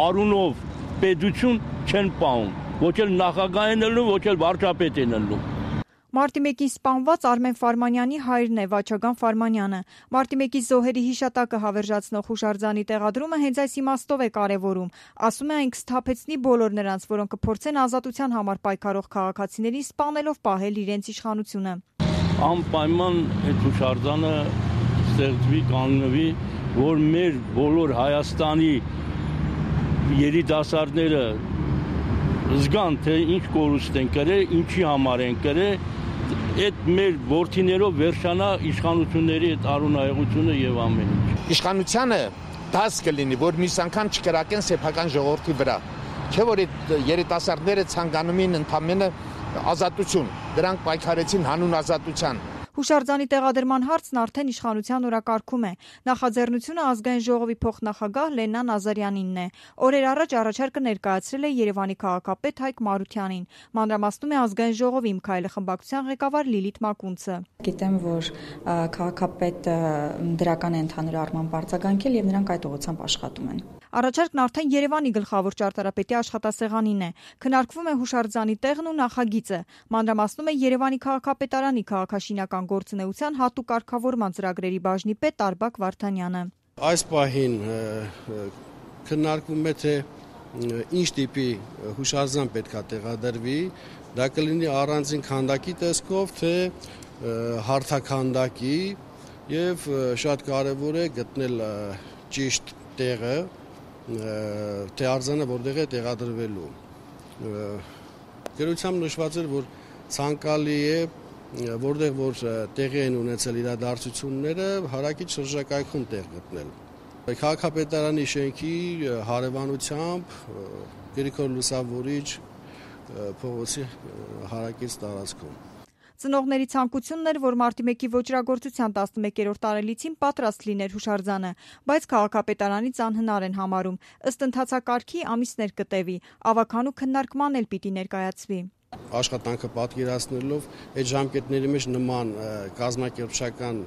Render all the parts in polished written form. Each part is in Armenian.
արունով պետություն չեն պահում, ոչ էլ նախագահ են ելնում, ոչ էլ վարչապետ են ելնում։ Մարտի 1-ին սպանված Արմեն Ֆարմանյանի հայրն է Վաչագան Ֆարմանյանը։ Մարտի 1-ի զոհերի հիշատակը հավերժացնող հուշարձանի տեղադրումը հենց այս իմաստով է կարևորում։ Ասում է այն կսթափեցնի բոլոր նրանց, որոնք կփորձեն ազատության համար պայքարող քաղաքացիներին սպանելով պահել իրենց իշխանությունը։ Անպայման այդ հուշարձանը ստեղծվի, կանգնվի, որ մեր բոլոր Հայաստանի երիտասարդները զգան, թե ինչ կորուստ են կրել, ինչի համար են կրել, այդ մեր որդիներով վերջանա իշխանությունների այդ արունահեղությունը եւ ամեն ինչ։ Իշխանությանը դաս կլինի, որ մյուս անգամ չկրակեն սեփական ժողովրդի վրա։ Չէ՞ որ այդ երիտասարդները ցանկանում են ընդամենը ազատություն, դրանք պայքարեցին հանուն ազատության։ Հուշարձանի տեղադրման հարցն արդեն իշխանության օրակարգում է։ Նախաձեռնությունը ազգային ժողովի փոխնախագահ Լենան Ազարյանինն է։ Օրեր առաջ առաջարկը ներկայացրել է Երևանի քաղաքապետ Հայկ Մարությանին։ Մանրամասնում է ազգային ժողովի Իմ քայլը խմբակցության ղեկավար Լիլիթ Մակունցը։ Գիտեմ, որ քաղաքապետը դրական է ընդհանուր առմամբ արձագանքել եւ նրանք այդ ուղղությամբ աշխատում են։ Առաջարկն արդեն Երևանի գլխավոր ճարտարապետի աշխատասեղանին է։ Քննարկվում է հուշարձանի տեղն ու նախագիծը։ Մանրամասնում է Երևանի քաղաքապետարանի քաղաքաշինական գործունեության հատուկ կարգավորման ծրագրերի բաժնի պետ Արբակ Վարդանյանը։ Այս պահին քննարկվում է թե ինչ տիպի հուշարձան պետք է տեղադրվի, դա կլինի առանձին քանդակի տեսքով, թե հարթաքանդակի եւ շատ կարեւոր է գտնել ճիշտ տեղը, թե արձանը որտեղ է տեղադրվելու։ Գրությամբ նշված էր, որ ցանկալի է, որտեղ որ տեղի են ունեցել իրադարձությունները, հարակից շրջակայքում տեղ գտնել։ Քաղաքապետարանի շենքի հարևանությամբ Գրիգոր Լուսավորիչ փողոցի հարակից տարածքում։ Ծնողների ցանկությունն էր, որ մարտի 1-ի ոճրագործության 11-րդ տարելիցին պատրաստ լիներ հուշարձանը, բայց քաղաքապետարանից անհնար են համարում։ Ըստ ընթացակարգի ամիսներ կտևի, ավագանու քննարկման էլ պիտի ներկայացվի։ Աշխատանքը պատկերացնելով այդ ժամկետների մեջ նման կազմակերպչական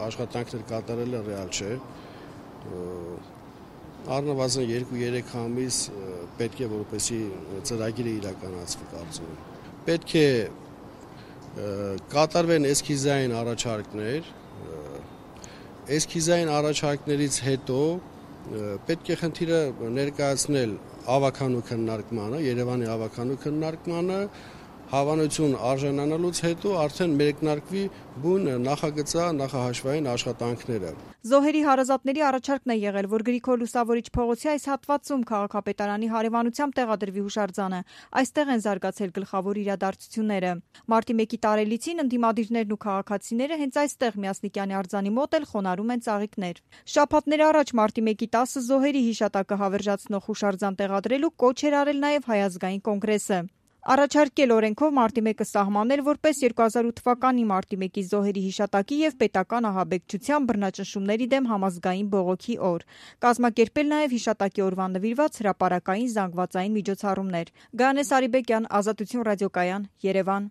աշխատանքներ կատարելը ռեալ չէ։ Առնվազն 2-3 ամիս պետք է, որպեսզի ծրագիրը իրականացվի, կարծում եմ։ Պետք է կատարվեն էսքիզային առաջարկներ, էսքիզային առաջարկներից հետո պետք է խնդիրը ներկայացնել ավագանու քննարկմանը, Երևանի ավագանու քննարկմանը, հավանություն արժանանալուց հետո արդեն մեկնարկվի բուն նախահաշվային աշխատանքները։ Զոհերի հարազատների առաջարկն է եղել, որ Գրիգոր Լուսավորիչ փողոցի այս հատվածում քաղաքապետարանի հարևանությամբ տեղադրվի հուշարձանը։ Այստեղ են զարգացել գլխավոր իրադարձությունները։ Մարտի 1-ի տարելիցին ընդդիմադիրներն ու քաղաքացիները հենց այստեղ Միասնիկյանի արձանի մոտ էլ խոնարհում են ծաղիկներ։ Շաբաթներ առաջ մարտի 1-ի 10 զոհերի հիշատակը հավերժացնող հուշարձան տեղադրելու կոչ էր արել նաև Հայ ազգային կոնգրեսը։ Առաջարկել օրենքով մարտի 1-ը սահմանել որպես 2008 թվականի մարտի 1-ի զոհերի հիշատակի եւ պետական ահաբեկչության բռնաճնշումների դեմ համազգային բողոքի օր։ Կազմակերպել նաեւ հիշատակի օրվան նվիրված հրապարակային զանգվածային միջոցառումներ։ Գայանե Սարիբեկյան, Ազատություն ռադիոկայան, Երևան։